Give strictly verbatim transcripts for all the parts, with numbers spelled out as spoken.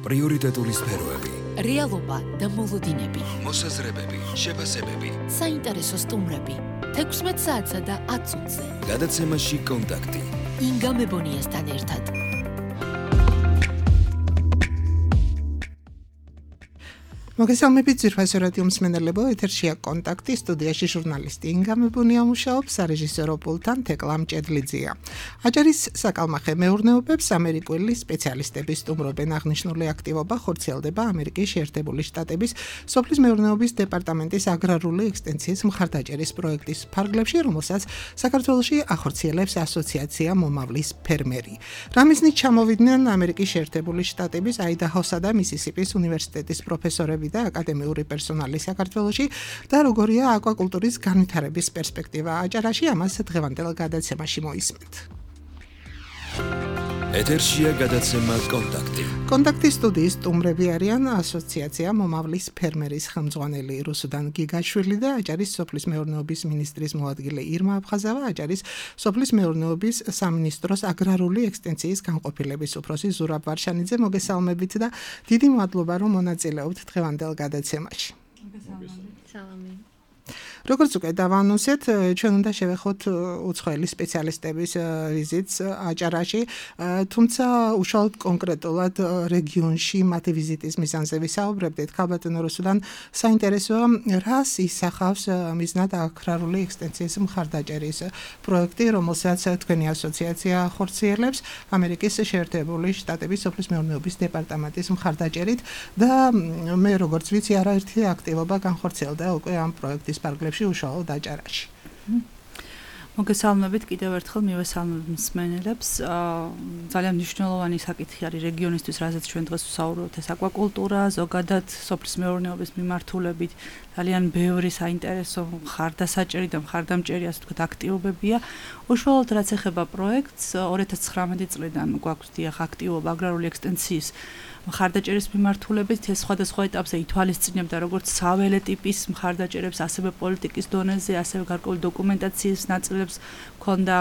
პრიორიტეტული სფეროები, რეალობა და მოლოდინები, მოსაზრებები, შეფასებები, საინტერესო სტუმრები, თექვსმეტ საათსა და ათ წუთზე. გადაცემაში კონტაქტი. ინგა მებონიასთან ერთად. მოგესალმებით ძვირფასო რადიო მსმენელებო, ეთერშია კონტაქტი, სტუდიაში ჟურნალისტი ინგა მებონია მუშაობს, სარეჟისორო პულტთან თეკლა მჭედლიძეა. აჭარის საკალმახე მეურნეობებს ამერიკული სპეციალისტები სტუმრობენ. აღნიშნული აქტივობა ხორციელდება ამერიკის შეერთებული შტატების სოფლის მეურნეობის დეპარტამენტის აგრარული ექსტენსიის მხარდაჭერის პროექტის ფარგლებში, რომელსაც საქართველოში ახორციელებს ასოციაცია მომავლის ფერმერი. რამიზნით ჩამოვიდნენ ამერიკის შეერთებული შტატების აიდაჰოსა და მისისიპის უნივერსიტეტის პროფესორები და აკადემიური პერსონალი საქართველოში და როგორია აკვაკულტურის განვითარების პერსპექტივა აჭარაში, ამას დღევანდელ გადაცემაში მოისმენთ. ეთერშია გადაცემა კონტაქტი. კონტაქტის სტუდიის სტუმრები არიან ასოციაცია მომავლის ფერმერის ხელმძღვანელი რუსუდან გიგაშვილი და აჭარის სოფლის მეურნეობის მინისტრის მოადგილე ირმა აფხაზავა, აჭარის სოფლის მეურნეობის სამინისტროს აგრარული ექსტენსიის განყოფილების უფროსი ზურაბ ვარშანიძე. მოგესალმებით და დიდი მადლობა, რომ მონაწილეობთ დღევანდელ გადაცემაში. სალამი. როგორც უკვე დავანონსეთ, ჩვენ უნდა შევეხოთ უცხოელი სპეციალისტების ვიზიტს აჭარაში, თუმცა უშუალოდ კონკრეტულად რეგიონში მათი ვიზიტის მიზანზე ვისაუბრებდით. ქალბატონო რუსუდან, საინტერესოა, რას ისახავს მიზნად აგრარული ექსტენსიის მხარდაჭერის პროექტი, რომელსაც თქვენი ასოციაცია ხორციელებს ამერიკის შეერთებული შტატების სოფლის მეურნეობის დეპარტამენტის მხარდაჭერით და მე როგორც ვიცი, არაერთი აქტივობა განხორციელდა უკვე ამ პროექტის ფარგლებში უშუალოდ აჭარაში. მოგესალმებით კიდევ ერთხელ მივესალმებ მსმენელებს. ძალიან მნიშვნელოვანი საკითხი არის რეგიონისთვის, რაზეც ჩვენ დღეს ვსაუბრობთ, ეს აკვაკულტურა, ზოგადად სოფლის მეურნეობის მიმართულებით ძალიან ბევრი საინტერესო მხარდასაჭერი და მხარდამჭერი, ასე ვთქვათ, აქტივობებია. უშუალოდ რაც ეხება პროექტს, ორი ათას ცხრამეტი წლიდან გვაქვს დიახ აქტივობა აგრარული ექსტენსიის მხარდაჭერის მიმართულებით. ეს სხვადასხვა ეტაპზე ითვალისწინებდა როგორც საველე ტიპის მხარდაჭერებს, ასევე პოლიტიკის დონეზე, ასევე გარკვეული დოკუმენტაციის ნაწილებს ქონდა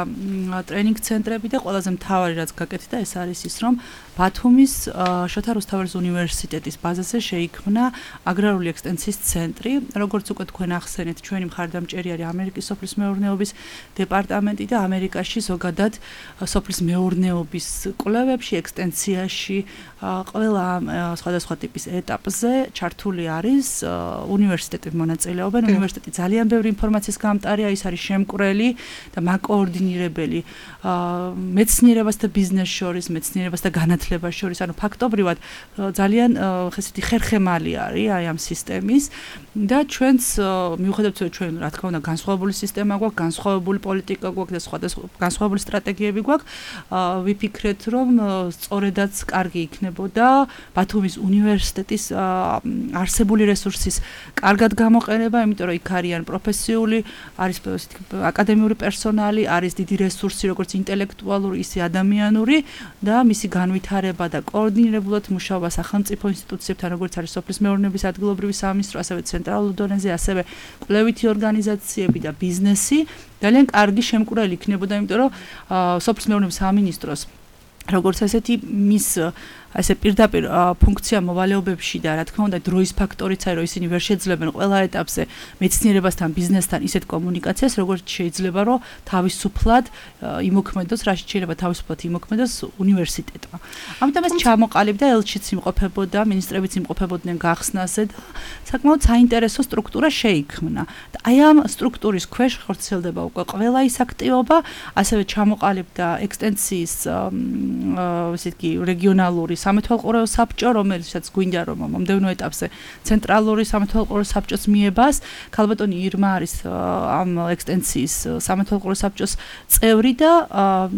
ტრენინგ ცენტრები და ყველაზე მთავარი რაც გაკეთდა, ეს არის ის, რომ ბათუმის შოთა რუსთაველის უნივერსიტეტის ბაზაზე შეიქმნა აგრარული ექსტენსიის ცენტრი. როგორც უკვე თქვენ ახსენეთ, ჩვენი მხარდამჭერი არის ამერიკის სოფლის მეურნეობის დეპარტამენტი და ამერიკაში ზოგადად სოფლის მეურნეობის კვლევებში, ექსტენსიაში ყველა სხვადასხვა ტიპის ეტაპზე ჩართული არის უნივერსიტეტები მონაწილეობენ. უნივერსიტეტი ძალიან ბევრი ინფორმაციის გამტარია, ის არის შემკვრელი და მაკოორდინირებელი მეცნიერებას და ბიზნეს შორის, მეცნიერებას და განათლებას შორის, ანუ ფაქტობრივად ძალიან ხესეთი ხერხემალი არის აი ამ სისტემის და ჩვენც მიუხედავად იმისა, ჩვენ რა თქმა უნდა განსხვავებული სისტემა გვაქვს, განსხვავებული პოლიტიკა გვაქვს და სხვადასხვა განსხვავებული სტრატეგიები გვაქვს, ვიფიქრეთ, რომ სწორედაც კარგი იქნებოდა ბათუმის უნივერსიტეტის არსებული რესურსის კარგად გამოყენება, იმიტომ რომ იქ არიან პროფესიული, არის აკადემიური პერსონალი, არის დიდი რესურსი, როგორც ინტელექტუალური, ისე ადამიანური და მისი განვითარება და კოორდინირებულად მუშაობა სახელმწიფო ინსტიტუციებთან, როგორც არის სოფლის მეურნეობის ადგილობრივი სამინისტრო, ასევე ცენტრალურ დონეზე, ასევე კვლევითი ორგანიზაციები და ბიზნესი ძალიან კარგი შემკვრელი იქნებოდა, იმიტომ რომ სოფლის მეურნეობის სამინისტროს როგორც ასეთი მის ასე პირდაპირ ფუნქცია მოვალეობებში და რა თქმა უნდა დროის ფაქტორიც არის, რომ ისინი ვერ შეძლებენ ყველა ეტაპზე მეცნიერებასთან, ბიზნესთან ისეთ კომუნიკაციას, როგორც შეიძლება, რომ თავისუფლად იმოქმედოს, რაშიც შეიძლება თავისუფლად იმოქმედოს უნივერსიტეტმა. ამიტომ ეს ჩამოყალიბდა, ელჩიც იმყოფებოდა, მინისტრებიც იმყოფებოდნენ გახსნაზე და საკმაოდ საინტერესო სტრუქტურა შეიქმნა. და აი ამ სტრუქტურის ქვეშ ხორციელდება უკვე ყველა ის აქტივობა, ასევე ჩამოყალიბდა ექსტენსიის ესე იგი რეგიონალური სამეთვალყურეო საბჭო, რომელსაც გვინდა რომ მომდევნო ეტაპზე ცენტრალური სამეთვალყურეო საბჭოს მიებას. ქალბატონი ირმა არის ამ ექსტენსიის სამეთვალყურეო საბჭოს წევრი და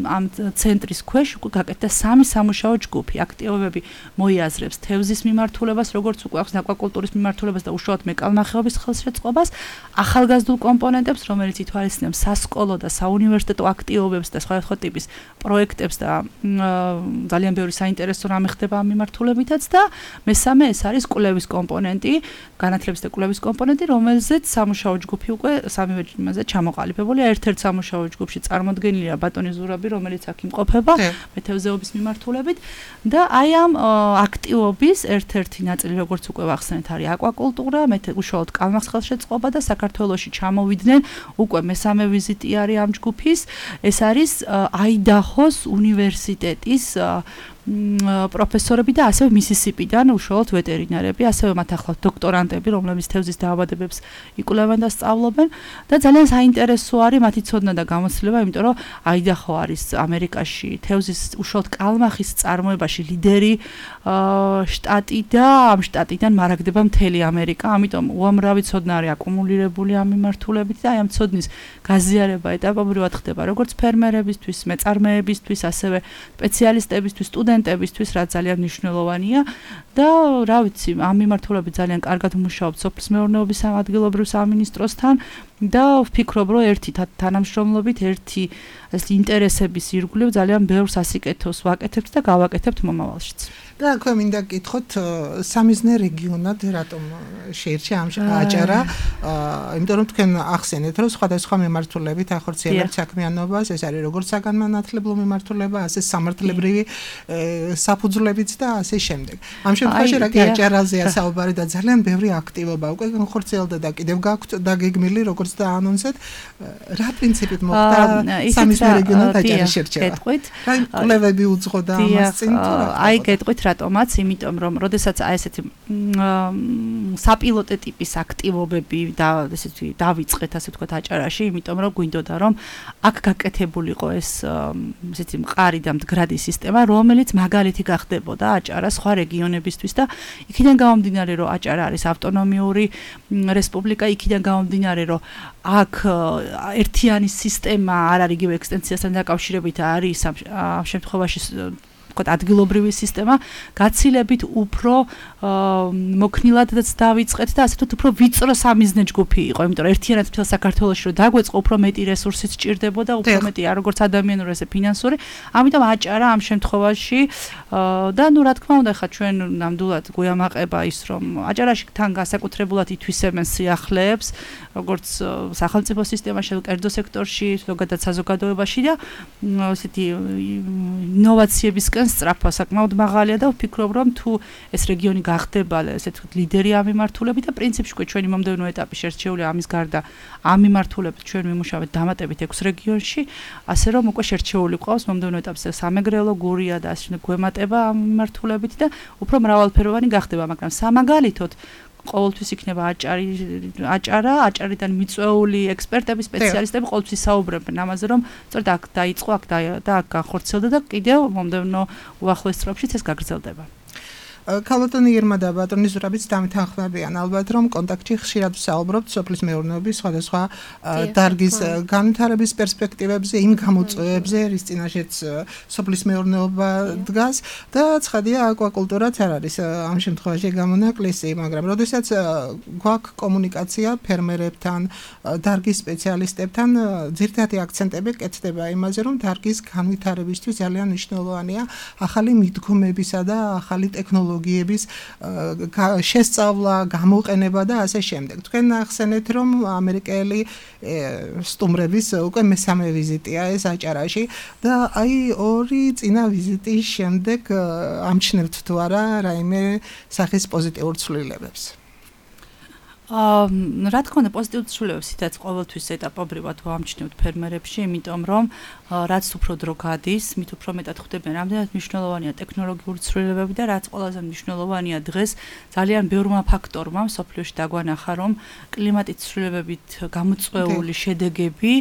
ამ ცენტრის ქვეშ უკვე გაკეთდა სამი სამუშაო ჯგუფი. აქტივობები მოიაზრებს თევზის მიმართულებას, როგორც უკვე აქვს აკვაკულტურის მიმართულებას და უშუალოდ მეკალმახეობის ხელშეწყობას, ახალგაზრდულ კომპონენტებს, რომელიც ითვალისწინებს სასკოლო და საუნივერსიტეტო აქტივობებს და სხვადასხვა ტიპის პროექტებს და ძალიან ბევრი საინტერესო რამე ხდება ამ მიმართულებითაც და მესამე ეს არის კვლევის კომპონენტი, განათლების და კვლევის კომპონენტი, რომელზეც სამუშაო ჯგუფი უკვე სამივე იმაზე ჩამოყალიბებულია. ერთ-ერთ სამუშაო ჯგუფში წარმოდგენილია ბატონი ზურაბი, რომელიც აქ იმყოფება მეთევზეობის მიმართულებით და აი ამ აქტივობის ერთ-ერთი ნაწილი, როგორც უკვე ვახსენეთ, არის აკვაკულტურა, უშუალოდ კალმახს ხელშეწყობა და საქართველოში ჩამოვიდნენ უკვე მესამე ვიზიტი არის ამ ჯგუფის. ეს არის აიდაჰოს უნივერსიტეტის პროფესორები და ასევე მისისიპიდან უშუალოდ ვეტერინარები, ასევე მათ ახლავთ დოქტორანტები, რომლებიც თევზის დაავადებებს იკვლევენ და სწავლობენ და ძალიან საინტერესო არის მათი ცოდნა და გამოცდილება, იმიტომ რომ აიდაჰო არის ამერიკაში თევზის უშუალოდ კალმახის წარმოებაში ლიდერი შტატი და ამ შტატიდან მარაგდება მთელი ამერიკა, ამიტომ უამრავი ცოდნა არის აკუმულირებული ამ მიმართულებით და აი ამ ცოდნის გაზიარება ეტაპობრივად ხდება როგორც ფერმერებისთვის, მეწარმეებისთვის, ასევე სპეციალისტებისთვის, სტუდენტებისთვის, რაც ძალიან მნიშვნელოვანია და რა ვიცი, ამ მიმართულებით ძალიან კარგად მუშაობთ სოფლის მეურნეობის ადგილობრივ სამინისტროსთან და ვფიქრობ, რომ ერთი თანამშრომლობით, ერთი ეს ინტერესების ირგვლივ ძალიან ბევრ სასიკეთოს ვაკეთებთ და გავაკეთებთ მომავალშიც. და აქვე მინდა გითხოთ სამიზნე რეგიონად რატომ შეირჩა ამ აჭარა, იმიტომ რომ თქვენ ახსენეთ, რომ სხვადასხვა მიმართულებით ახორციელებთ საქმიანობას, ეს არის როგორც საგანმანათლებლო მიმართულება, ასე სამართლებრივი საფუძვლებიც და ასე შემდეგ. ამ შემთხვევაში რა კი აჭარაზეა საუბარი და ძალიან ბევრი აქტივობა უკვე განხორციელდა და კიდევ გაქვთ დაგეგმილი, როგორც და ანონსეთ, რა პრინციპით მოხდა სამიზნე რეგიონად აჭარის შერჩევა. რა კვლევები უძღოდა ამას წინ თუ რა? აი გეტყვით რატომაც, იმიტომ რომ როდესაც აი ესეთი საპილოტე ტიპის აქტივობები და ესეთი დავიწყეთ, ასე ვთქვათ, აჭარაში, იმიტომ რომ გვინდოდა რომ აქ გაკეთებულიყო ეს ესეთი მყარი და მდგრადი სისტემა, რომელიც მაგალითი გახდებოდა აჭარა სხვა რეგიონებისთვის და იქიდან გამომდინარე, რომ აჭარა არის ავტონომიური რესპუბლიკა, იქიდან გამომდინარე, რომ აქ ერთიანი სისტემა არ არის იგივე ექსტენსიასთან დაკავშირებით, არის ამ შემთხვევაში ვთქვათ, ადგილობრივი სისტემა, გაცილებით უფრო მოქნილადაც დავიწყეთ და ასე ვთქვათ, უფრო ვიწრო სამიზნე ჯგუფი იყო, იმიტომ რომ ერთიანად მთელ საქართველოში რომ დაგვეწყო, უფრო მეტი რესურსიც სჭირდებოდა, უფრო მეტი არ როგორც ადამიანური, ესე ფინანსური. ამიტომ აჭარა ამ შემთხვევაში და ნუ რა თქმა უნდა, ხა ჩვენ ნამდვილად გვიამაყება ის, რომ აჭარაში თან განსაკუთრებულად ითვისებენ სიახლეებს, როგორც სახელმწიფო სისტემაში, კერძო სექტორში, ზოგადად საზოგადოებაში და ესეთი ინოვაციებისკენ სწრაფვა საკმაოდ მაღალია და ვფიქრობ, რომ თუ ეს რეგიონი გახდება ესეთ ლიდერი ამ მიმართულებით და პრინციპში ჩვენი მომდევნო ეტაპი შერჩეული ამის გარდა ამ მიმართულებით ჩვენ ვიმუშავებთ დამატებით ექვს რეგიონში, ასე რომ უკვე შერჩეული ყავს მომდევნო ეტაპზე სამეგრელო, გურია და ასე გვემატება ამ მიმართულებით და უფრო მრავალფეროვანი გახდება, მაგრამ სამაგალითოდ ყოველთვის იქნება აჭარი, აჭარა, აჭარიდან მიწვეული ექსპერტები, სპეციალისტები ყოველთვის საუბრობენ ამაზე, რომ სწორედ აქ დაიწყო, აქ და აქ განხორციელდა და კიდევ მომდევნო უახლოეს წლებშიც ეს გაგრძელდება. ქალბატონი ირმა და ბატონი ზურაბიც დამთანხმებიან ალბათ, რომ კონტაქტში ხშირად ვსაუბრობთ სოფლის მეურნეობის სხვადასხვა დარგის განვითარების პერსპექტივებზე, იმ გამოწვევებზე, რის წინაშეც სოფლის მეურნეობა დგას და ცხადია აკვაკულტურაც არ არის ამ შემთხვევაში გამონაკლისი, მაგრამ როდესაც გვაქვს კომუნიკაცია ფერმერებთან, დარგის სპეციალისტებთან, ძირითადი აქცენტები კეთდება იმაზე, რომ დარგის განვითარებისთვის ძალიან მნიშვნელოვანია ახალი მიდგომებისა და ახალი ტექნოლოგიების შესწავლა, გამოყენება და ასე შემდეგ. თქვენ ახსენეთ, რომ ამერიკელი სტუმრების უკვე მესამე ვიზიტია ეს აჭარაში და აი ორი წინა ვიზიტის შემდეგ ამჩნევთ თუ არა რაიმე სახის პოზიტიურ ცვლილებებს? აა რა თქმა უნდა პოზიტიურ ცვლილებებს ისედაც ყოველთვის ეტაპობრივად ვამჩნევთ ფერმერებში, იმიტომ რომ რაც უფრო დრო გადის, მით უფრო მეტად ხვდებიან რამდენად მნიშვნელოვანია ტექნოლოგიური ცვლილებები და რაც ყველაზე მნიშვნელოვანია დღეს ძალიან ბევრმა ფაქტორმა მსოფლიოში დაგვანახა, რომ კლიმატის ცვლილებებით გამოწვეული შედეგები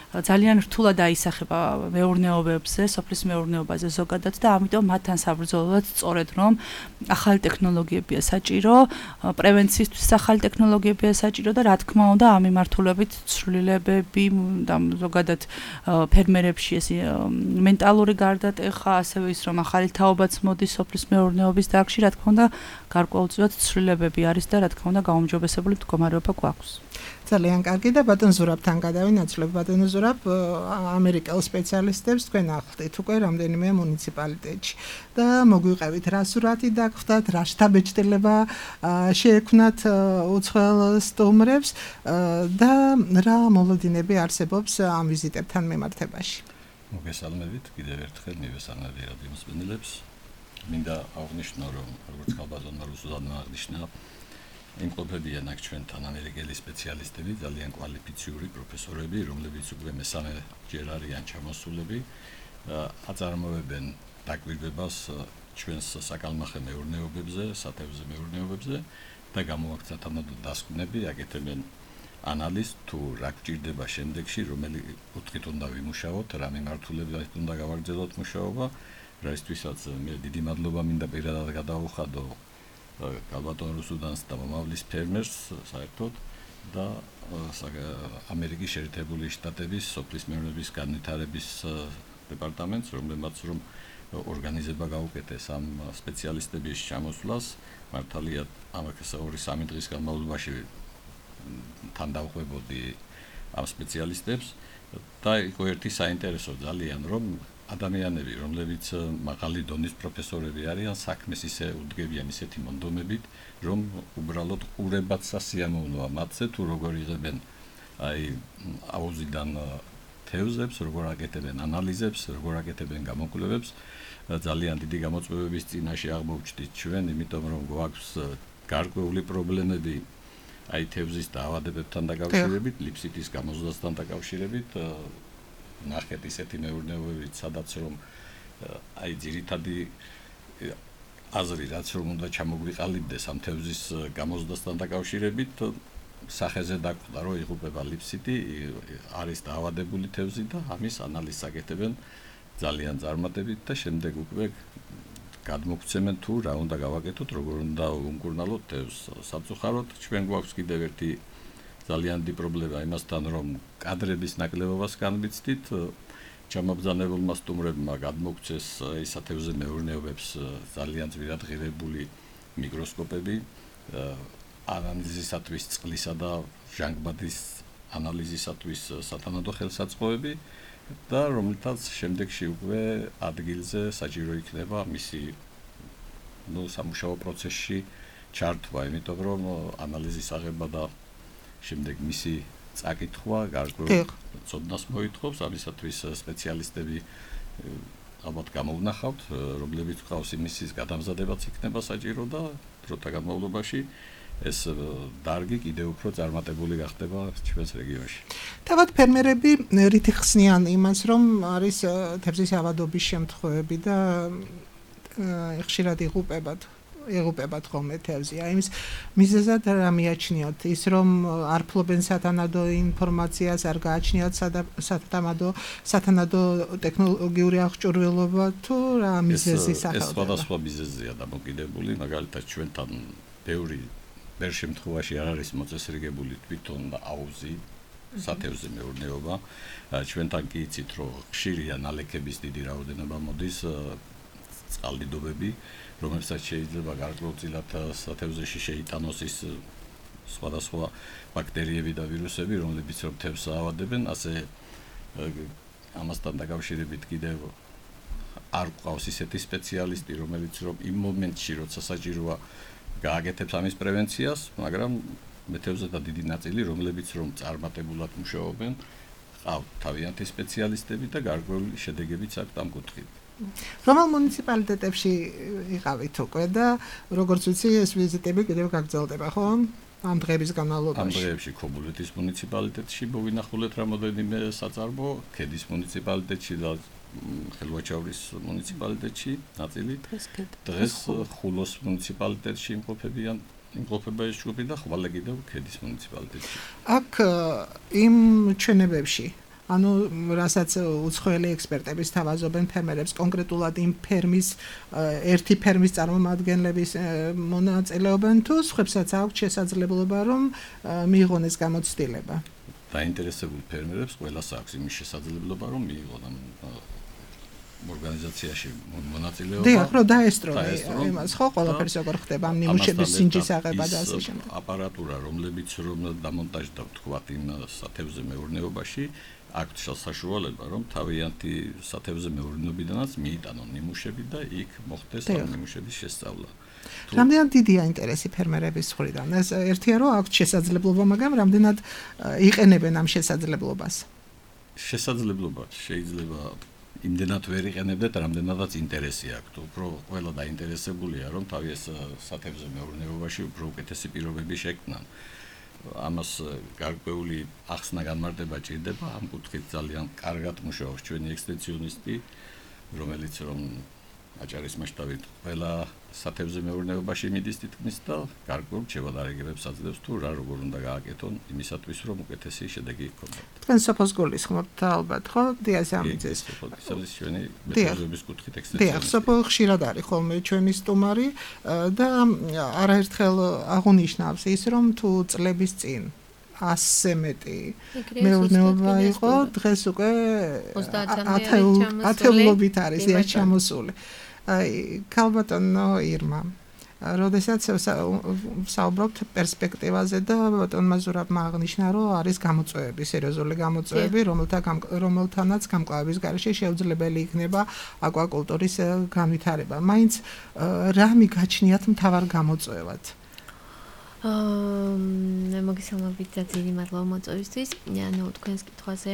ძალიან რთულად აისახება მეურნეობებზე, სოფლის მეურნეობაზე ზოგადად და ამიტომ მათთან საბრძოლოდ სწორედ რომ ახალი ტექნოლოგიებია საჭირო, პრევენციისთვის ახალი ტექნოლოგიებია საჭირო და რა თქმა უნდა ამ მიმართულებით ცვლილებები და ზოგადად ფერმერებში ეს მენტალური გარდატეხა, ასევე ის რომ ახალი თაობაც მოდის სოფლის მეურნეობის დარგში, რა თქმა უნდა გარკვეულწილად ცვლილებები არის და რა თქმა უნდა გაუმჯობესებული მდგომარეობა გვაქვს. ძალიან კარგი და ბატონ ზურაბთან გადავინაცვლებ. ბატონ ზურაბ, ამერიკელ სპეციალისტებს თქვენ ახლდით უკვე რამდენიმე მუნიციპალიტეტში და მოგვიყევით რა სურათი დაგხვდათ, რა შთაბეჭდილება შეექმნათ უცხოელ სტუმრებს და რა მოლოდინები არსებობს ამ ვიზიტებთან მიმართებაში. მოგესალმებით კიდევ ერთხელ მივესალმები რადიო მსმენელებს. მინდა აღნიშნო, რომ როგორც ხალბაზონმა რუსუდანმა აღნიშნა, იმყოფებიან აქ ჩვენთან ამერიკელი სპეციალისტები, ძალიან კვალიფიციური პროფესორები, რომლებიც უკვე მესამე ჯერ არიან ჩამოსულები, აწარმოებენ დაკვირვებას ჩვენს საკალმახე მეურნეობებზე, სათევზე მეურნეობებზე და გამოაქვთ თანადო დასკვნები, აკეთებენ ანალიზ თუ რა გვჭირდება შემდეგში, რომელი კუთხით უნდა ვიმუშაოთ, რა მიმართულებით უნდა გავაგრძელოთ მუშაობა, რაისთვისაც მე დიდი მადლობა მინდა პირადად გადავუხადო კალბატონ რუსუდანს და მომავლის ფერმერს საერთოდ და ამერიკის შეერთებული შტატების სოფლის მეურნეობის განვითარების დეპარტამენტს, რომლებმაც რომ ორგანიზება გაუკეთეს ამ სპეციალისტების ჩამოსვლას, მართალია ამას ორი სამი დღის განმავლობაში თან დავხვებოდი ამ სპეციალისტებს და იყო ერთი საინტერესო ძალიან, რომ ადამიანები, რომლებიც მაღალი დონის პროფესორები არიან, საქმეს ისე უდგებიან ისეთი მონდომებით, რომ უბრალოდ ყურებაც სასიამოვნოა მათზე, თუ როგორ იღებენ აი აუზიდან თევზებს, როგორ აკეთებენ ანალიზებს, როგორ აკეთებენ გამოკვლევებს, ძალიან დიდი გამოწვევების წინაშე აღმოჩნდით ჩვენ, იმიტომ რომ გვაქვს გარკვეული პრობლემები აი თევზის დაავადებებთან დაკავშირებით, ლიფსიტის გამოზიდასთან დაკავშირებით, ნახეთ ისეთი მეურნეობებით, სადაც რომ აი ძირითადი აზრი რაც რომ უნდა ჩამოგვიყალიბდეს ამ თევზის გამოზიდასთან დაკავშირებით, სახეზე დაკვდა, რომ იღუპება ლიფსიტი, არის დაავადებული თევზი და ამის ანალიზს აკეთებენ ძალიან წარმატებით და შემდეგ უკვე გადმოგცემენ თუ რა უნდა გავაკეთოთ, როგორ უნდა უმკურნალოთ თევზს. Სამწუხაროდ ჩვენ გვაქვს კიდევ ერთი ძალიან დიდი პრობლემა იმასთან, რომ კადრების ნაკლებობას განვიცდით, ჩამობრძანებულმა სტუმრებმა გადმოგცეს ისათევზე მეურნეობებს ძალიან ძვირად ღირებული მიკროსკოპები, ანალიზისათვის წყლისა და ჟანგბადის ანალიზისათვის სათანადო ხელსაწყოები და რომლითაც შემდეგში უკვე ადგილზე საჭირო იქნება მისი ნუ სამუშაო პროცესში ჩართვა, იმიტომ რომ ანალიზის აღება და შემდეგ მისი წაკითხვა გარკვეულ ცოდნას მოითხოვს, ამისათვის სპეციალისტები ალბათ გამოვნახავთ, რომლებიც ყავს იმისის გადამზადებაც იქნება საჭირო და დროთა განმავლობაში ეს დარგი კიდევ უფრო წარმატებული გახდება ჩვენს რეგიონში. თავად ფერმერები რითი ხსნიან იმას, რომ არის თევზის ავადობის შემთხვევები და ხშირად იღუპებათ იღუპებათ ხოლმე თევზი. აი იმის მიზეზად რა მიაჩნიოთ? ის რომ არ ფლობენ სათანადო ინფორმაციას, არ გააჩნიათ სათანადო სათანადო ტექნოლოგიური აღჭურვილობა თუ რა მიზეზი სახელდება? ეს სხვადასხვა მიზეზია დამოკიდებული, მაგალითად ჩვენთან ბევრი ვერ შემთხვევაში არ არის მოწესრიგებული თვითონ აუზი სათევზე მეურნეობა. ჩვენთან კი იცით, რომ ხშირია ნალექების დიდი რაოდენობა მოდის, წყალდიდობები, რომელსაც შეიძლება გარკვეულწილად სათევზეში შეიტანოს ის სხვადასხვა ბაქტერიები და ვირუსები, რომლებიც რომ თევზს აავადებენ, ასე ამასთან დაკავშირებით კიდევ არ გვყავს ისეთი სპეციალისტი, რომელიც რომ იმ მომენტში, როცა საჭიროა გააკეთებს ამის პრევენციას, მაგრამ მეთევზეთა დიდი ნაწილი, რომლებიც რომ წარმატებულად მუშაობენ, ყავთ თავიანთი სპეციალისტები და გარკვეული შედეგებიც აქვს ამ კუთხით. რომელ მუნიციპალიტეტებში იყავით უკვე და როგორც ვიცი, ეს ვიზიტები კიდევ გაგრძელდება, ხო? ამ დღეების განმავლობაში. ამ დღეებში ქობულეთის მუნიციპალიტეტში მოვინახულეთ რამოდენიმე საწარმო, ქედის მუნიციპალიტეტში და ხელვაჩაურის მუნიციპალიტეტში ნაწილი. დღეს ხულოს მუნიციპალიტეტში იმყოფებიან იმყოფება ეს ჯგუფი და ხვალე კიდევ ქედის მუნიციპალიტეტში. აქ იმ ჩვენებებში ანუ რასაც უცხოელი ექსპერტები სთავაზობენ ფერმერებს კონკრეტულად იმ ფერმის ერთი ფერმის წარმომადგენლების მონაწილეობენ თუ სხვებსაც აქვს შესაძლებლობა რომ მიიღონ ეს გამოცდილება. დაინტერესებულ ფერმერებს ყველას აქვს იმის შესაძლებლობა რომ მიიღონ ორგანიზაციაში მონაწილეობა. დიახ, რომ დაესწრონ იმას, ხო, ყველაფერს როგორ ხდება ამ ნიმუშების სინჯის აღება და ასე შემდეგ. აპარატურა, რომლებიც რომ დამონტაჟდა თქვათ იმ სათევზე მეურნეობაში, აქვს საშუალება, რომ თავიანთი სათევზე მეურნეობიდანაც მიიტანონ ნიმუშები და იქ მოხდეს ამ ნიმუშების შესწავლა. რამდენად დიდია ინტერესი ფერმერების მხრიდან? ეს ერთია რომ აქვს შესაძლებლობა, მაგრამ რამდენად იყენებენ ამ შესაძლებლობას? შესაძლებლობა შეიძლება იმდენად ვერ იყენებდეთ, რამდენადაც ინტერესი აქვთ. უფრო ყველა დაინტერესებულია, რომ თავის სათევზე მეურნეობაში უფრო უკეთესი პირობები შექმნან. ამას გარკვეული ახსნა განმარტება ჭირდება, ამ კუთხით ძალიან კარგად მუშაობს ჩვენი ექსტენსიონისტი, რომელიც რომ აჭარის მასშტაბით ყველა სათევზე მეურნეობაში მიდის თითქმის და გარკვეულ შევადარებებს აძლევს თუ რა როგორ უნდა გააკეთონ იმისათვის რომ უკეთესი შედეგი იქონოთ. თქვენ სოფოს გულისხმობთ ალბათ, ხო? დიაზამიძეს. სოფოს ჩვენი მეთოდების კუთხით ექსტენსიონისტი. დიახ, სოფო ხშირად არის ხოლმე ჩვენი სტუმარი და არაერთხელ აღუნიშნავს ის რომ თუ წლების წინ ასზე მეტი მეურნეობა იყო, დღეს უკვე ათეულობით არის ეს ჩამოსული. აი, ქალბატონო ირმა, როდესაც საუბრობთ პერსპექტივაზე და ბატონმა ზურაბმა აღნიშნა, რომ არის გამოწვევები, სერიოზული გამოწვევები, რომელთანაც გამკლავების გარეშე შეუძლებელი იქნება აკვაკულტურის განვითარება. მაინც რა მიგაჩნიათ მთავარ გამოწვევად? აა მოგესალმებით და ძირი მადლობა მოწვევისთვის. ანუ თქვენს კითხვაზე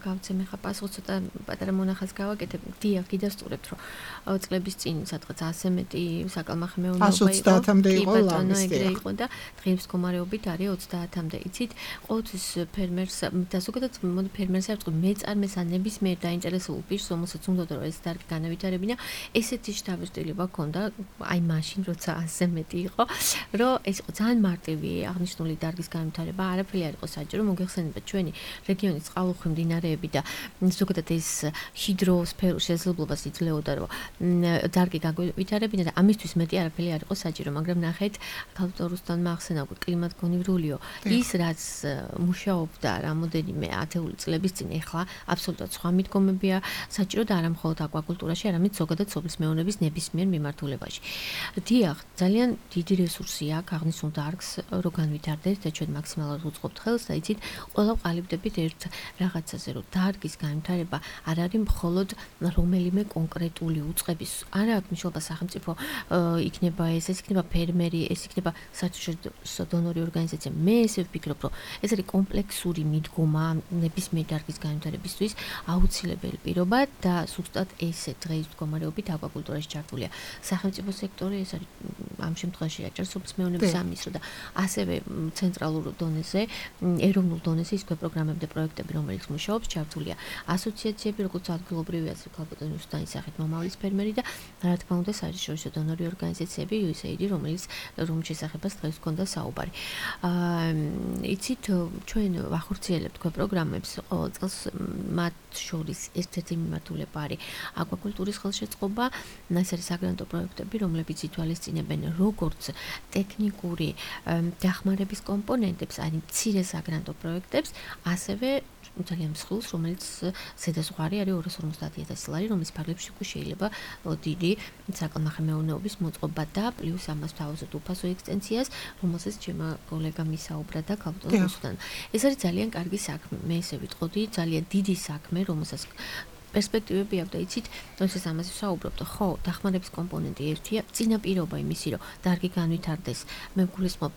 გავცემ ხა პასუხი ცოტა პატარა მონახაზს გავაკეთებ. დიახ, გიდასტურებთ, რომ წლების წინ სადღაც ასზე მეტი საკალმახი მეურნეობა იყო. ოცდაათამდე იყო ლამის ეგრე იყო და დღის მდგომარეობით არის ოცდაათამდე. იცით, ყოველთვის ფერმერს და ზოგადად მოდი ფერმერს არ ვთქვი, მეწარმეს ან ნებისმიერ დაინტერესებულ პირს, რომელსაც უნდა რომ ეს დარგი განავითარებინა, ესეთი შთაბეჭდილება ჰქონდა, აი მაშინ როცა ასზე მეტი იყო, რომ ეს ძალიან მარტივი აღნიშნული დარგის განვითარება არაფერი არ იყო საჭირო. მოგეხსენებათ ჩვენი რეგიონის წყალუხვი მდინარეები და ზოგადად ეს ჰიდროსფერულ შესაძლებლობას იძლეოდა რომ დარგი განვითარებინა და ამისთვის მეტი არაფერი არ იყო საჭირო, მაგრამ ნახეთ ქალბატონმა ახსენა უკვე კლიმატგონივრულიო ის რაც მუშაობდა რამოდენიმე ათეული წლების წინ, ეხლა აბსოლუტურად სხვა მიდგომებია საჭირო და არა მხოლოდ აკვაკულტურაში, არამედ ზოგადად სოფლის მეურნეობის ნებისმიერ მიმართულებაში. დიახ, ძალიან დიდი რესურსი აქვს აღნიშნულ დარგს რო განვითარდეს და ჩვენ მაქსიმალურად უწყობთ ხელს და იცით, ყველა ვყალიბდებით ერთ რაღაცაზე, რომ დარგის განვითარება არ არის მხოლოდ რომელიმე კონკრეტული უწყების, არა აქვს მნიშვნელობა სახელმწიფო იქნება ეს, ეს იქნება ფერმერი, ეს იქნება საერთაშორისო დონორი ორგანიზაცია. მე ესე ვფიქრობ, რომ ეს არის კომპლექსური მიდგომა ნებისმიერ დარგის განვითარებისთვის აუცილებელი პირობა და ზუსტად ესე დღეს მდგომარეობით აკვაკულტურაში ჩართულია სახელმწიფო სექტორი, ეს არის ამ შემთხვევაში აჭარის სოფლის მეურნეობის სამინისტრო და ასევე ცენტრალურ დონეზე, ეროვნულ დონეზე ის პროგრამები და პროექტები, რომელიც მუშაობს, ჩართულია ასოციაციები, როგორც ადგილობრივი, ასე ქალბატონის დაისახეთ მომავლის ფერმერი და რა თქმა უნდა საერთაშორისო დონორი ორგანიზაციები, იუ ეს ეი დი, რომელიც რომლის შესახებაც დღეს გქონდა საუბარი. აა იცით, ჩვენ ვახორციელებთ თქვენ პროგრამებს ყოველ წელს, მათ შორის ერთ-ერთი მიმართულება არის აკვაკულტურის ხელშეწყობა, ეს არის საგრანტო პროექტები, რომლებიც ითვალისწინებენ როგორც ტექნიკური დახმარების კომპონენტებს, აი მცირე საგრანტო პროექტებს, ასევე ძალიან მსხვილს, რომელიც ზედაზღვარი არის ორას ორმოცდაათი ათასი ლარი, რომლის ფარგლებში უკვე შეიძლება დიდი საკალმახი მეურნეობის მოწყობა და პლუს ამას თავაზობ უფასო ექსტენსიას, რომელსაც ჩემო კოლეგამ ისაუბრა და ქალბატონთან. ეს არის ძალიან კარგი საქმე, მე ესე ვიტყოდი, ძალიან დიდი საქმე, რომელსაც პერსპექტივები აქვს და იცით, როდესაც ამაზე ვსაუბრობთ, ხო, დახმარების კომპონენტი ერთია, წინაპირობა იმისი, რომ დარგი განვითარდეს, მე გულისხმობ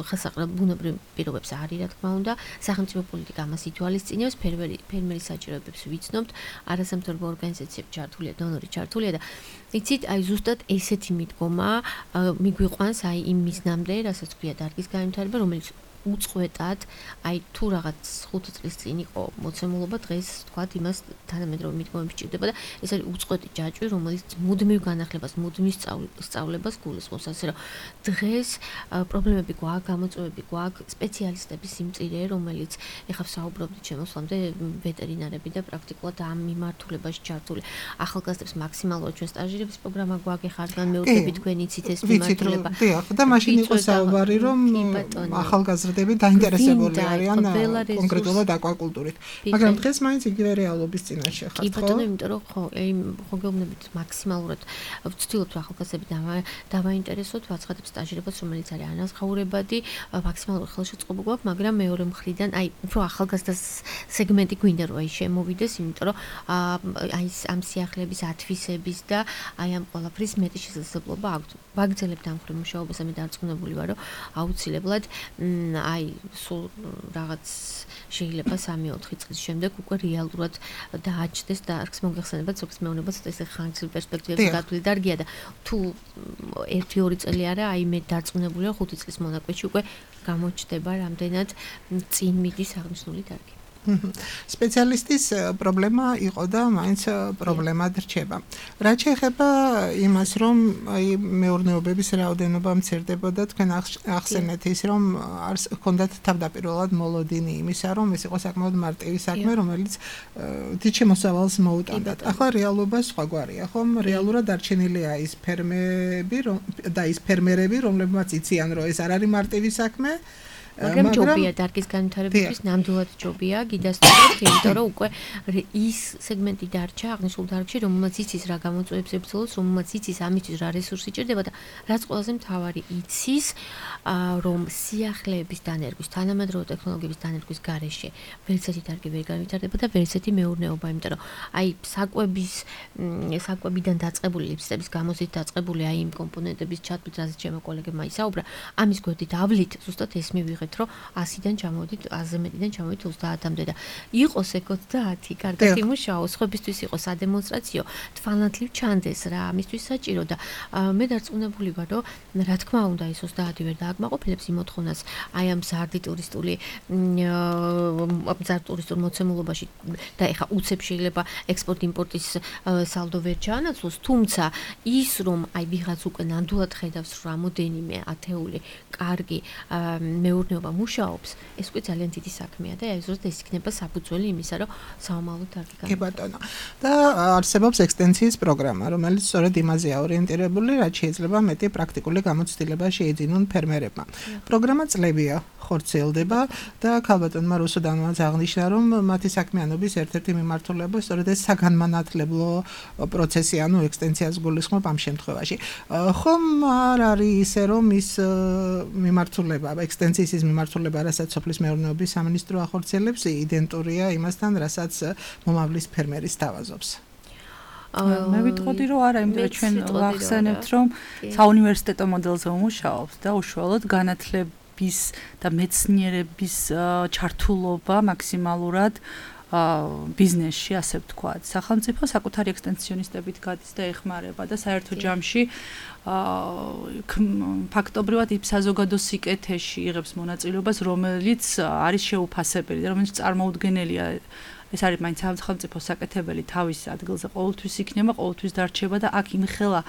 ხელსაყრელ ბუნებრივ პირობებს არის, რა თქმა უნდა, სახელმწიფო პოლიტიკა ამას ითვალისწინებს, ფერმერი ფერმერის საჭიროებებს ვიცნობთ, არასამთავრობო ორგანიზაციები ჩართულია, დონორი ჩართულია და იცით, აი ზუსტად ესეთი მიდგომა მიგვიყვანს აი იმ მიზნამდე, რასაც ქვია დარგის განვითარება, რომელიც უწყვეტად, აი თუ რაღაც ხუთი წლის წინ იყო მოცემულობა, დღეს თქვათ იმას თანამედროვე მიდგომები ჭირდება და ეს არის უწყვეტი ჯაჭვი, რომელიც მუდმივ განახლებას, მუდმივ სწავლებას გულისხმობს, ასე რომ დღეს პრობლემები გვაქვს, გამოწვევები გვაქვს, სპეციალისტების სიმწირე, რომელიც ეხლა ვსაუბრობთ შემოსვლამდე ვეტერინარები და პრაქტიკულად ამ მიმართულებაში ჩართული ახალგაზრდებს მაქსიმალურად ჩვენ სტაჟირების პროგრამა გვაქვს, ეხლა რადგან მეუღლები თქვენ იცით ეს მიმართულება. დიახ, და მაშინ იყო საუბარი, რომ ახალგაზრდა მგზავრდები დაინტერესებული გვინდა, არიან ყველა რესურსი. კონკრეტულად აკვაკულტურით. ბიჭი. მაგრამ დღეს მაინც იგივე რეალობის წინაშე კი ხართ, ხო? ბატონო, იმიტომ რომ ხო, აი ხო გეუბნებით მაქსიმალურად ვცდილობთ რომ ახალგაზრდები დავა- დავაინტერესოთ, ვაცხადებ სტაჟირებას, რომელიც არის ანაზღაურებადი, მაქსიმალურად ხელშეწყობა გვაქვს, მაგრამ მეორე მხრიდან აი უფრო ახალგაზრდა სეგმენტი გვინდა რომ აი შემოვიდეს, იმიტომ რომ აი ამ სიახლეების ათვისების და აი ამ ყველაფრის მეტი შესაძლებლობა აქვთ. ვაგრძელებთ ამ მხრივ მუშაობას, მე დარწმუნებული ვარ, რომ აუცილებლად აი სულ რაღაც შეიძლება სამი-ოთხი წლის შემდეგ უკვე რეალურად დააჩნდეს და არც მოგეხსენებათ ზოგს მეუბნებათ ესე ხანგრძლივ პერსპექტივებში გადული დარგია და თუ ერთი-ორი წელი არა, აი მე დარწმუნებულია ხუთი წლის მონაკვეთში უკვე გამოჩნდება რამდენად წინ მიდის აღნიშნული დარგი. სპეციალისტის პრობლემა იყო და მაინც პრობლემად რჩება. რაც შეეხება იმას, რომ აი მეურნეობების რაოდენობა მცირდებოდა, თქვენ ახსენეთ ის, რომ არ ჰქონდათ თავდაპირველად მოლოდინი იმისა, რომ ეს იყო საკმაოდ მარტივი საქმე, რომელიც დიდ შემოსავალს მოუტანდათ. ახლა რეალობა სხვაგვარია, ხომ? რეალურად დარჩენილია ის ფერმები და ის ფერმერები, რომლებმაც იციან, რომ ეს არ არის მარტივი საქმე. მაგრამ ჯობია დარგის განვითარებისთვის ნამდვილად ჯობია გიდასტურებთ, იმიტომ რომ უკვე ის სეგმენტი დარჩა აღნიშნულ დარგში, რომელმაც იცის რა გამოწვევებს ებრძოლოს, რომელმაც იცის ამისთვის რა რესურსი ჭირდება და რაც ყველაზე მთავარი იცის, რომ სიახლეების დანერგვის, თანამედროვე ტექნოლოგიების დანერგვის გარეშე ვერცერთი დარგი ვერ განვითარდება და ვერცერთი მეურნეობა, იმიტომ რომ აი საკვების საკვებიდან დაწყებული ლიფსების გამოზით დაწყებული აი იმ კომპონენტების ჩათვლით, რასაც ჩემო კოლეგებმა ისაუბრა, ამის გვერდით ავლით ზუსტად ეს მივიღეთ რომ ასიდან ჩამოვიდით, აზე მეტიდან ჩამოვიდით ოცდაათამდე და იყოს ეგ ოცდაათი, კარგად იმუშაოს, ხობისთვის იყოს სადემონსტრაციო, თვალნათლივ ჩანდეს რა, ამისთვის საჭირო და მე დარწმუნებული ვარ, რომ რა თქმა უნდა ეს ოცდაათი ვერ დააკმაყოფილებს იმ მოთხოვნას აი ამ ზარდი ტურისტული ზარდ ტურისტულ მოცემულობაში და ეხა უცებ შეიძლება ექსპორტ-იმპორტის სალდო ვერ ჩაანაცვლოს, თუმცა ის რომ აი ვიღაც უკვე ნამდვილად ხედავს რამოდენიმე ათეული კარგი მეურნეობა მუშაობს, ეს უკვე ძალიან დიდი საქმეა და ზუსტად ეს იქნება საფუძველი იმისა, რომ საომალო დარგი კი ბატონო. და არსებობს ექსტენსიის პროგრამა, რომელიც სწორედ იმაზეა ორიენტირებული, რაც შეიძლება მეტი პრაქტიკული გამოცდილება შეეძინონ ფერმერებმა. პროგრამა წლებია ხორციელდება და ქალბატონმა რუსუდანმაც აღნიშნა, რომ მათი საქმიანობის ერთ-ერთი მიმართულება სწორედ ეს საგანმანათლებლო პროცესი, ანუ ექსტენსიას გულისხმობ ამ შემთხვევაში. ხომ არ არის ისე, რომ ის მიმართულება, ექსტენსიის ის მიმართულება, რასაც სოფლის მეურნეობის სამინისტრო ახორციელებს, იდენტურია იმასთან, რასაც მომავლის ფერმერი სთავაზობს. მე ვიტყოდი რომ არა, იმიტომ რომ ჩვენ ვახსენებთ, რომ საუნივერსიტეტო მოდელზე ვმუშაობთ და უშუალოდ განათლების და მეცნიერების ჩართულობა მაქსიმალურად ბიზნესში, ასე ვთქვათ. სახელმწიფო საკუთარი ექსტენსიონისტებით გადის და ეხმარება და საერთო ჯამში ფაქტობრივად იმ საზოგადო სიკეთეში იღებს მონაწილეობას, რომელიც არის შეუფასებელი და რომელიც წარმოუდგენელია. ეს არის მაინც სახელმწიფო საკეთებელი თავის ადგილზე ყოველთვის იქნება, ყოველთვის დარჩება და აქ იმხელა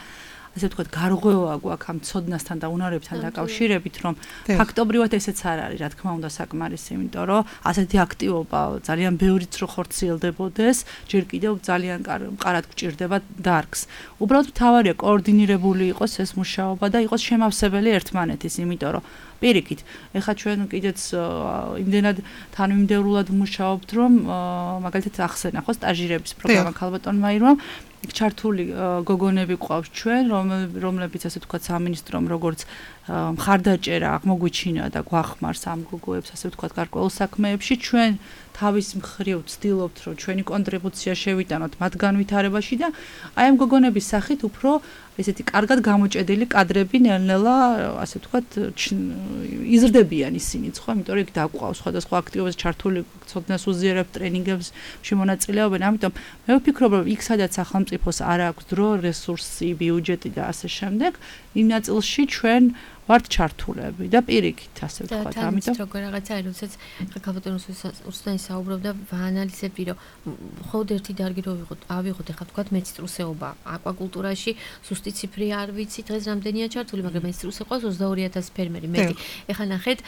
ასე ვთქვათ, გარღვევა გვაქვს ამ ცოდნასთან და უნარებთან დაკავშირებით, რომ ფაქტობრივად ესეც არ არის, რა თქმა უნდა, საკმარისი, იმიტომ რომ ასეთი აქტივობა ძალიან ბევრიც რო ხორციელდებოდეს, ჯერ კიდევ ძალიან მყარად გვჭირდება დარგს. უბრალოდ მთავარია კოორდინირებული იყოს ეს მუშაობა და იყოს შემავსებელი ერთმანეთის, იმიტომ რომ პირიქით, ეხლა ჩვენ კიდეც იმდენად თანმიმდევრულად ვმუშაობთ, რომ მაგალითად ახსენა ხო სტაჟირების პროგრამა ქალბატონმა ირმამ ჩართული გოგონები ყავს ჩვენ, რომლებიც ასე ვთქვათ სამინისტრომ როგორც მხარდაჭერა აღმოგვიჩინა და გვახმარს ამ გოგოებს ასე ვთქვათ გარკვეულ საქმეებში, ჩვენ თავის მხრივ ვცდილობთ, რომ ჩვენი კონტრიბუცია შევიტანოთ მათ განვითარებაში და აი ამ გოგონების სახით უფრო ესეთი კარგად გამოჭედილი კადრები ნელ-ნელა ასე ვთქვათ იზრდებიან ისინიც, ხო, იმიტომ რომ იქ დაგვყავს სხვადასხვა აქტივობებს ჩართული ცოდნას უზიარებთ ტრენინგებში მონაწილეობენ, ამიტომ მე ვფიქრობ, რომ იქ სადაც სახელმწიფოს არ აქვს დრო, რესურსი, ბიუჯეტი და ასე შემდეგ, იმ ნაწილში ჩვენ ვართ ჩართულები და პირიქით ასე ვთქვათ, ამიტომ როგორ რაღაცა არის, როდესაც ქალბატონო რუსუდანი საუბრობდა, ვაანალიზებდი, რომ მხოლოდ ერთი დარგი რო ვიღოთ, ავიღოთ, ეხლა ვთქვათ მეცტრუსეობა, აკვაკულტურაში ზუსტი ციფრი არ ვიცი, დღეს რამდენია ჩართული, მაგრამ მეცტრუსე ყავს ოცდაორი ათასი ფერმერი, მეტი. ეხლა ნახეთ,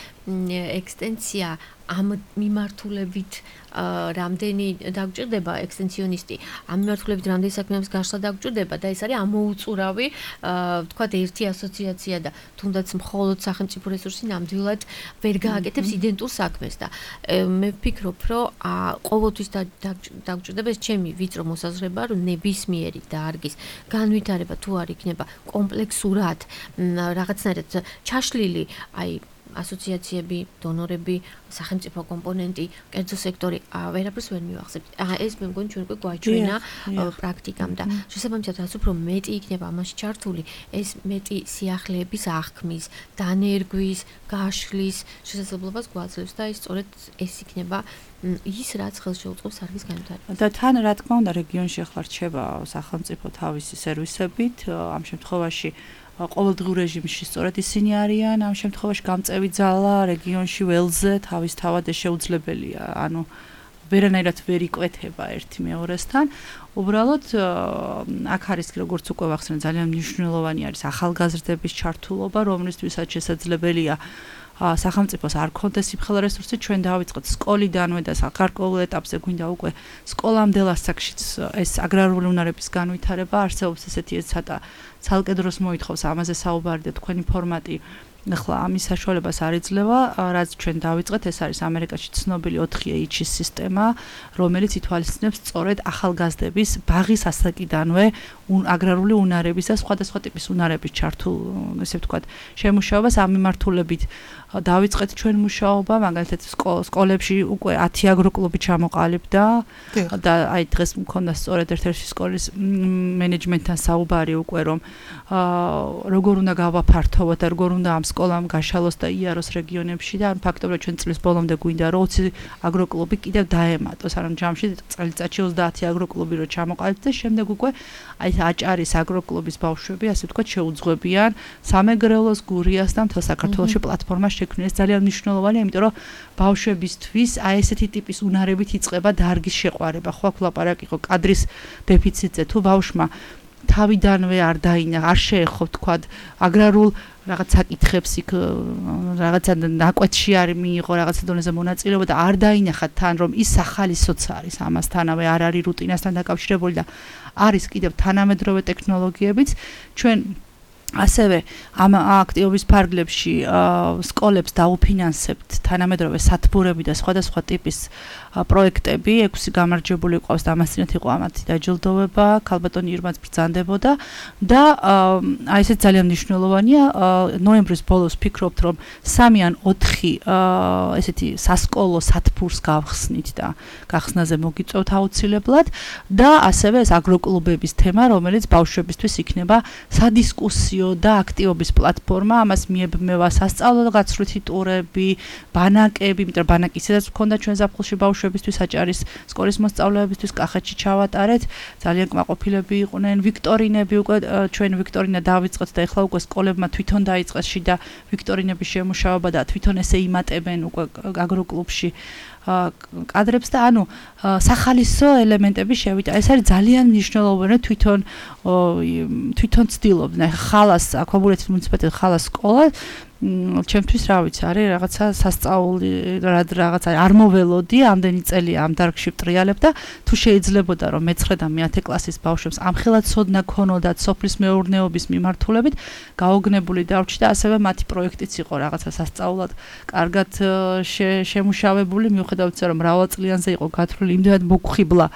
ექსტენსია ამ მიმართულებით რამდენი დაგჭირდება ექსტენსიონისტი, ამ მიმართულებით რამდენი საქმეებს გაშლა დაგჭირდება და ეს არის ამოუწურავი, თქვათ ერთი ასოციაცია და თუნდაც მხოლოდ სახელმწიფო რესურსი ნამდვილად ვერ გააკეთებს იდენტურ საქმეს და მე ვფიქრობ, რომ ყოველთვის დაგჭირდება ეს ჩემი ვიწრო მოსაზრება, რომ ნებისმიერი დარგის განვითარება თუ არ იქნება კომპლექსურად რაღაცნაირად ჩაშლილი, აი ასოციაციები, დონორები, სახელმწიფო კომპონენტი, კერძო სექტორი, ვერაფერს ვერ მივახსენებთ. ეს მე მგონი ჩვენ უკვე გვაჩვენა პრაქტიკამ და შესაბამისად რაც უფრო მეტი იქნება ამაში ჩართული, ეს მეტი სიახლეების აღქმის, დანერგვის, გაშლის შესაძლებლობას გვაძლევს და ეს სწორედ ეს იქნება ის რაც ხელს შეუწყობს დარგის განვითარებას. და თან რა თქმა უნდა რეგიონში ახლა რჩება სახელმწიფო თავისი სერვისებით, ამ შემთხვევაში ყოველდღიურ რეჟიმში სწორედ ისინი არიან, ამ შემთხვევაში გამწევი ძალა რეგიონში ველზე თავის თავად შეუძლებელია, ანუ ვერანაირად ვერ იკვეთება ერთი მეორესთან. უბრალოდ აქ არის როგორც უკვე ვახსენე ძალიან მნიშვნელოვანი არის ახალგაზრდების ჩართულობა, რომლისთვისაც შესაძლებელია სახელმწიფოს არ ქონდეს სიფხელ რესურსი, ჩვენ დავიწყოთ სკოლიდანვე და გარკვეულ ეტაპზე გვინდა უკვე სკოლამდელ ასაკშიც ეს აგრარული უნარების განვითარება არსებობს ესეთი ცოტა ცალკე დროს მოითხოვს ამაზე საუბარი და თქვენი ფორმატი ახლა ამის საშუალებას არ იძლევა, რაც ჩვენ დავიწყეთ, ეს არის ამერიკაში ცნობილი ოთხი ეიჩის სისტემა, რომელიც ითვალისწინებს სწორედ ახალგაზრდების ბაღის ასაკიდანვე აგრარული უნარების და სხვადასხვა ტიპის უნარების ჩართულ, ესე ვთქვათ, შემუშავებას ამ მიმართულებით დავიწყეთ ჩვენ მუშაობა, მაგალითად სკოლებში უკვე ათი აგროკლუბი ჩამოყალიბდა და აი დღეს მქონდა სწორედ ერთ-ერთი სკოლის მენეჯმენტთან საუბარი უკვე რომ როგორ უნდა გავაფართოვოთ და როგორ უნდა ამ სკოლამ გაშალოს და იაროს რეგიონებში და ან ფაქტობრივად ჩვენ წლის ბოლომდე გვინდა რომ ოცი აგროკლუბი კიდევ დაემატოს, ანუ ჯამში წელიწადში ოცდაათი აგროკლუბი რო ჩამოყალიბდა და შემდეგ უკვე აი აჭარის აგროკლუბის ბავშვები, ასე ვთქვათ, შეუძღვებიან სამეგრელოს, გურიას და მთელ საქართველოში პლატფორმა შექმნეს. ძალიან მნიშვნელოვანია, იმიტომ რომ ბავშვებისთვის აი ესეთი ტიპის უნარებით იწყება დარგის შეყვარება. ხო აქ ლაპარაკი იყო კადრის დეფიციტზე, თუ ბავშვმა თავიდანვე არ დაინა, არ შეეხო თქვათ აგრარულ რაღაც საკითხებს იქ რაღაცა ნაკვეთში არ მიიღო რაღაცა დონეზე მონაწილეობა და არ დაინახა თან რომ ის სახალისოც არის ამასთანავე არ არის რუტინასთან დაკავშირებული და არის კიდევ თანამედროვე ტექნოლოგიებიც ჩვენ ასევე ამ აქტივობის ფარგლებში სკოლებს დაუფინანსებთ თანამედროვე სათბურები და სხვადასხვა ტიპის პროექტები, ექვსი გამარჯვებული ყავს და ამასთანავე იყო ამათი დაჯილდოვება, ქალბატონი ირმაც ბრძანდებოდა და აი ესეც ძალიან მნიშვნელოვანია, ნოემბრის ბოლოს ვფიქრობთ, რომ სამი ან ოთხი ესეთი სასკოლო სათბურს გავხსნით და გახსნაზე მოგიწევთ აუცილებლად და ასევე ეს აგროკლუბების თემა, რომელიც ბავშვებისთვის იქნება სადისკუსიო და აქტივობის პლატფორმა, ამას მიებმევა სასწავლო გაცვლითი ტურები, ბანაკები, იმიტომ რომ ბანაკი ისედაც მქონდა ჩვენ ზაფხულში ბავშვებისთვის აჭარის სკოლის მოსწავლეებისთვის კახეთში ჩავატარეთ, ძალიან კმაყოფილები იყვნენ, ვიქტორინები უკვე ჩვენ ვიქტორინა დავიწყეთ და ეხლა უკვე სკოლებმა თვითონ დაიწყეს შიდა ვიქტორინების შემუშავება და თვითონ ესე იმატებენ უკვე აგროკლუბში კადრებს და ანუ სახალისო ელემენტები შევიდა. ეს არის ძალიან მნიშვნელოვანი თვითონ თვითონ ცდილობდნენ. ხალას აქვაბულეთის მუნიციპალიტეტი ხალას სკოლა ჩემთვის რა ვიცი არის რაღაცა სასწაული რაღაცა არ მოველოდი ამდენი წელი ამ დარგში ვტრიალებ და თუ შეიძლებოდა რომ მეცხრე და მეათე კლასის ბავშვებს ამხელად ცოდნა ქონოდათ სოფლის მეურნეობის მიმართულებით გაოგნებული დავრჩი და ასევე მათი პროექტიც იყო რაღაცა სასწაულად კარგად შემუშავებული მიუხედავად რომ მრავალწლიანზე იყო გათვლილი იმდენად მოგხიბლა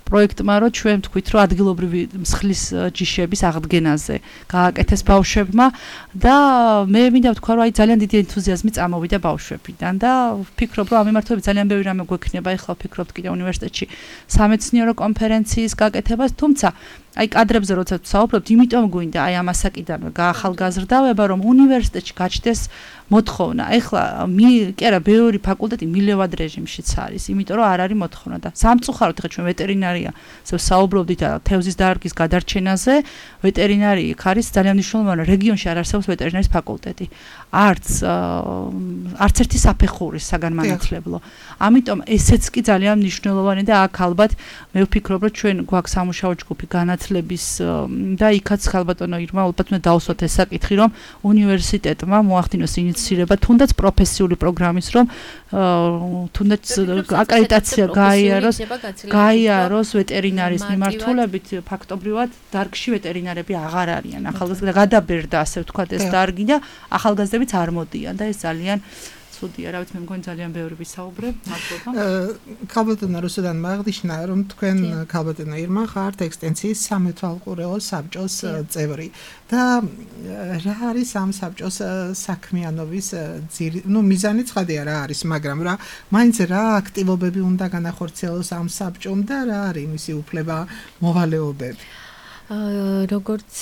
პროექტმა რომ ჩვენ ვთქვით რომ ადგილობრივი მსხლის ჯიშების აღდგენაზე გააკეთეს ბავშვებმა და მე მინდა ვთქვა რომ აი ძალიან დიდი ენთუზიაზმი წამოვიდა ბავშვებიდან და ვფიქრობ რომ ამ მიმართულებით ძალიან ბევრი რამე გვექნება ეხლა ვფიქრობთ კიდე უნივერსიტეტში სამეცნიერო კონფერენციის გაკეთებას თუმცა აი კადრებზე როცა საუბრობთ იმიტომ გვინდა აი ამ ასაკიდანვე გაახალგაზრდავება რომ უნივერსიტეტში გაჩნდეს მოთხოვნა ეხლა კი არა ბევრი ფაკულტეტი მილევად რეჟიმშიც არის იმიტომ რომ არ არის მოთხოვნა და სამწუხაროდ ეხლა ჩვენ ვეტერინარია საუბრობდით თევზის დარგის გადარჩენაზე ვეტერინარი იქ არის ძალიან მნიშვნელოვანი რეგიონში არ არსებობს ვეტერინარის ფაკულტეტი არც არც ერთი საფეხურის საგანმანათლებლო ამიტომ ესეც კი ძალიან მნიშვნელოვანი და აქ ალბათ მე ვფიქრობ რომ ჩვენ გვაქვს სამუშაო ჯგუფი განათლება განათლების და იქაც ხალბატონო ირმა ალბათ უნდა დავუსვათ ეს საკითხი, რომ უნივერსიტეტმა მოახდინოს ინიციირება თუნდაც პროფესიული პროგრამის, რომ თუნდაც აკრედიტაცია გაიაროს, გაიაროს ვეტერინარის მიმართულებით, ფაქტობრივად დარგში ვეტერინარები აღარ არიან. ახალგაზრდა გადაბერდა, ასე ვთქვათ, ეს დარგი და ახალგაზრდებიც არ მოდიან და ეს ძალიან ცუდია, რა ვიცი, მე მგონი ძალიან ბევრი ვისაუბრებ, მადლობა. ქალბატონო რუსუდან მაგდიშნა, რომ თქვენ ქალბატონო ირმა ხართ ექსტენსიის სამეთვალყურეო საბჭოს წევრი და რა არის ამ საბჭოს საქმიანობის ძირი, ну მიზანი ცხადია რა არის, მაგრამ რა მაინც რა აქტივობები უნდა განახორციელოს ამ საბჭომ და რა არის მისი უფლება მოვალეობები? როგორც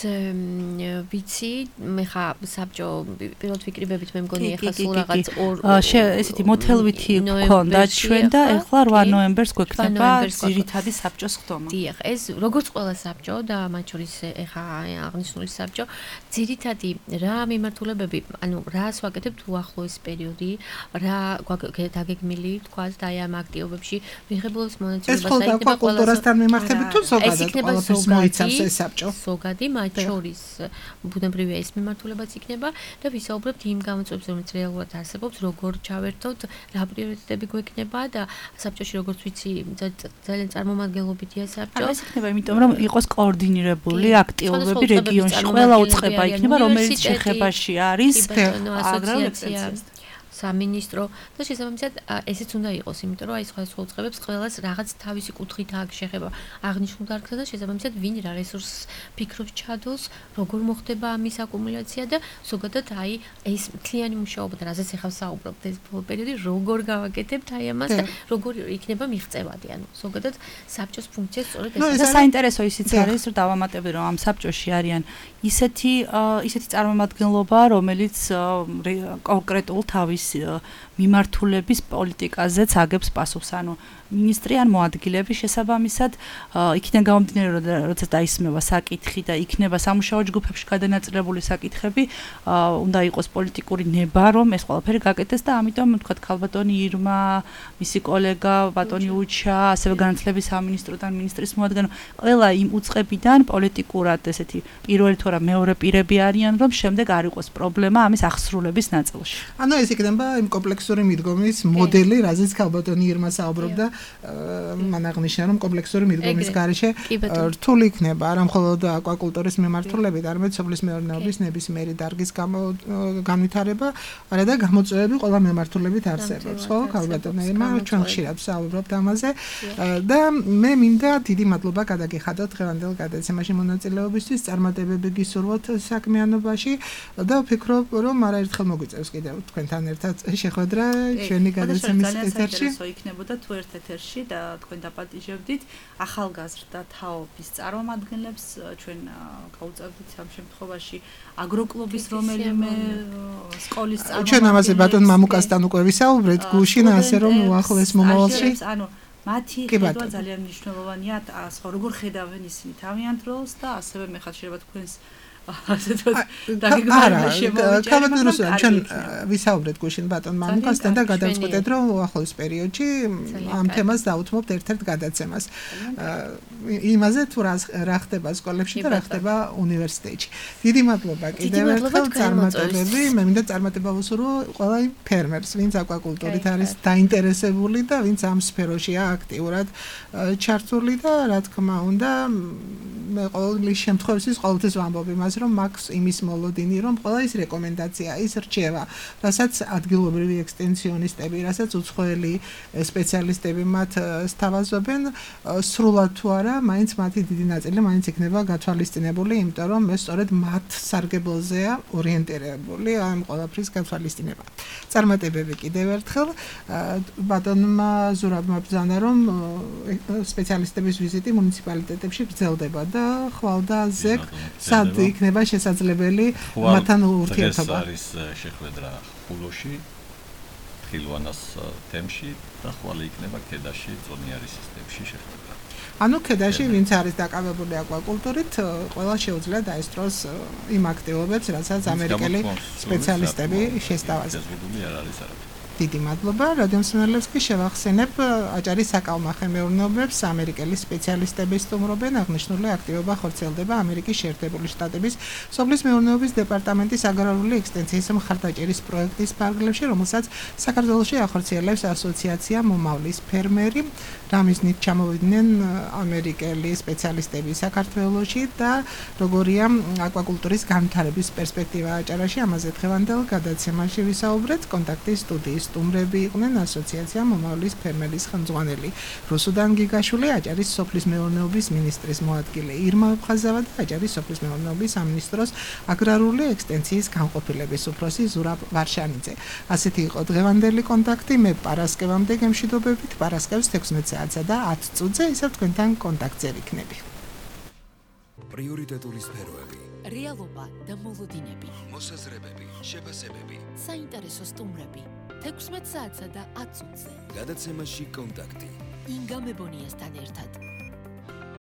ვიცი, მე ხა საბჭო პირველად ვიკრიბებით მე მგონი ეხლა სულ რაღაც ორ ესეთი მოთელვითი გქონდა ჩვენ და ეხლა რვა ნოემბერს გვექნება ძირითადი საბჭოს ხდომა. დიახ, ეს როგორც ყველა საბჭო და მათ შორის ეხა აღნიშნული საბჭო, ძირითადი რა მიმართულებები, ანუ რას ვაკეთებთ უახლოეს პერიოდი, რა დაგეგმილი თქვა და აი ამ აქტივობებში მიღებულობს მონაწილეობას და იქნება კულტურასთან მიმართებით თუ ზოგადად ყველაფერს მოიცავს ეს საბჭო. ზოგადი მათ შორის ბუნებრივია ეს მიმართულებაც იქნება და ვისაუბრებთ იმ გამოწვევებზე, რომელიც რეალურად არსებობს, როგორ ჩავერთოთ, რა პრიორიტეტები გვექნება და საბჭოში როგორც ვიცი, ძალიან წარმომადგენლობითია საბჭო. ეს იქნება იმიტომ, რომ იყოს კოორდინირებული აქტივობები რეგიონში, ყველა უწყება იქნება, რომელიც შეხებაში არის აგრარულ სამინისტრო და შესაბამისად ესეც უნდა იყოს, იმიტომ რომ აი სხვადასხვა უწყებებს ყველას რაღაც თავისი კუთხით აქვს შეხება აღნიშნულ დარგსა და შესაბამისად ვინ რა რესურსს ფიქრობს ჩადოს, როგორ მოხდება ამის აკუმულაცია და ზოგადად აი ეს მთლიანი მუშაობა და რაზეც ახლა საუბრობთ ეს პერიოდი როგორ გავაკეთებთ აი ამას და როგორ იქნება მიღწევადი, ანუ ზოგადად საბჭოს ფუნქცია სწორედ ეს. და საინტერესო ისიც არის, რომ დავამატებდი, რომ ამ საბჭოში არიან ისეთი ისეთი წარმომადგენლობა, რომელიც კონკრეტულ თავის მიმართულების პოლიტიკაზეც აგებს პასუხს, ანუ მინისტრი ან მოადგილეების შესაბამისად იქიდან გამომდინარე, როცა დაისმევა საკითხი და იქნება სამუშაო ჯგუფებში გადანაწილებული საკითხები, უნდა იყოს პოლიტიკური ნება, რომ ეს ყველაფერი გაკეთდეს და ამიტომ თქვა ქალბატონი ირმა, მისი კოლეგა ბატონი უჩა, ასევე განათლების სამინისტროდან მინისტრის მოადგილე, ყველა იმ უწყებიდან პოლიტიკურად ესეთი პირველი თუ რა მეორე პირები არიან, რომ შემდეგ არ იყოს პრობლემა ამის აღსრულების ნაწილში. ანუ ეს იქნება იმ კომპლექსური მიდგომის მოდელი, რაზეც ქალბატონი ირმა საუბრობდა, მან აღნიშნა, რომ კომპლექსური მიდგომის გარეშე რთული იქნება არა მხოლოდ აკვაკულტურის მიმართულებით, არამედ სოფლის მეურნეობის ნებისმიერი დარგის განვითარება, არა და გამოწვევები ყველა მიმართულებით არსებობს. ხო, ქალბატონო ირმა, ჩვენ ხშირად საუბრობთ ამაზე და მე მინდა დიდი მადლობა გადაგიხადოთ დღევანდელ გადაცემაში მონაწილეობისთვის, წარმატებები გისურვოთ საქმიანობაში და ვფიქრობ, რომ არაერთხელ მოგვიწევს კიდევ თქვენთან ერთად შეხვედრა ჩვენი გადაცემის ეთერში. იქნებოდა თუ ერთ ეთერში და თქვენ დაპატიჟებდით ახალგაზრდა თაობის წარმომადგენლებს, ჩვენ გავუწევდით ამ შემთხვევაში აგროკლუბის რომელიმე სკოლის წარმომადგენლებს. ჩვენ ამაზე ბატონ მამუკასთან უკვე ვისაუბრეთ გუშინ, ასე რომ უახლოეს მომავალში. ანუ მათი ხედვა ძალიან მნიშვნელოვანია, სხვა როგორ ხედავენ ისინი თავიანთ როლს და ასევე მე ხარ შეიძლება თქვენს ჩვენ ვისაუბრეთ გუშინ ბატონ მამუკასთან და გადავწყვეტეთ, რომ უახლოეს პერიოდში ამ თემას დავუთმობთ ერთ-ერთ გადაცემას. იმაზე თუ რა ხდება სკოლებში და რა ხდება უნივერსიტეტში. დიდი მადლობა კიდევ ერთხელ წარმატებები. მე მინდა წარმატება ვუსურვო ყველა იმ ფერმერს, ვინც აკვაკულტურით არის დაინტერესებული და ვინც ამ სფეროშია აქტიურად ჩართული და რა თქმა უნდა მე ყოველ შემთხვევაში ყოველთვის ვამბობ იმას, რომ მაქვს იმის მოლოდინი, რომ ყველა ის რეკომენდაცია, ის რჩევა, რასაც ადგილობრივი ექსტენსიონისტები, რასაც უცხოელი სპეციალისტები მათ სთავაზობენ, სრულად თუ არა, მაინც მათი დიდი ნაწილი მაინც იქნება გათვალისწინებული, იმიტომ რომ ეს სწორედ მათ სარგებლოზეა ორიენტირებული ამ ყველაფრის გათვალისწინება. წარმატებები კიდევ ერთხელ ბატონმა ზურაბმა ბრძანა, რომ სპეციალისტების ვიზიტი მუნიციპალიტეტებში გრძელდება და ხვალ და ზეგ სად იქნება შესაძლებელი მათთან ურთიერთობა. ეს არის შეხვედრა ხულოში, ხილვანას თემში და ხვალ იქნება ქედაში, წონიარის სისტემში შეხვედრა. ანუ ქედაში ვინც არის დაკავებული აკვაკულტურით, ყველა შეუძლია დაესწროს იმ აქტივობებს, რასაც ამერიკელი სპეციალისტები შესთავაზებენ. არ არის არაფერი. დიდი მადლობა. რადიო მსმენელებს კი შევახსენებ, აჭარის საკალმახე მეურნეობებს ამერიკელი სპეციალისტები სტუმრობენ. აღნიშნული აქტივობა ხორციელდება ამერიკის შეერთებული შტატების სოფლის მეურნეობის დეპარტამენტის აგრარული ექსტენსიის მხარდაჭერის პროექტის ფარგლებში, რომელსაც საქართველოში ახორციელებს ასოციაცია მომავლის ფერმერი. რამიზნით ჩამოვიდნენ ამერიკელი სპეციალისტები საქართველოში და როგორია აკვაკულტურის განვითარების პერსპექტივა აჭარაში, ამაზე დღევანდელ გადაცემაში ვისაუბრეთ. კონტაქტის სტუდიის სტუმრები იყვნენ ასოციაცია მომავლის ფერმერის ხელმძღვანელი რუსუდან გიგაშვილი, აჭარის სოფლის მეურნეობის მინისტრის მოადგილე ირმა აფხაზავა და აჭარის სოფლის მეურნეობის სამინისტროს აგრარული ექსტენსიის განყოფილების უფროსი ზურაბ ვარშანიძე. ასეთი იყო დღევანდელი კონტაქტი. მე პარასკევამდე გემშვიდობებით. პარასკევს თექვსმეტ საათსა და ათ წუთზე ისევ თქვენთან კონტაქტზე ვიქნები. პრიორიტეტული სფეროები, რეალობა და მოლოდინები, მოსაზრებები, შეფასებები. საინტერესო სტუმრები. თექვსმეტ საათსა და ათ წუთზე. გადაცემაში კონტაქტი. ინგა მებონიასთან ერთად.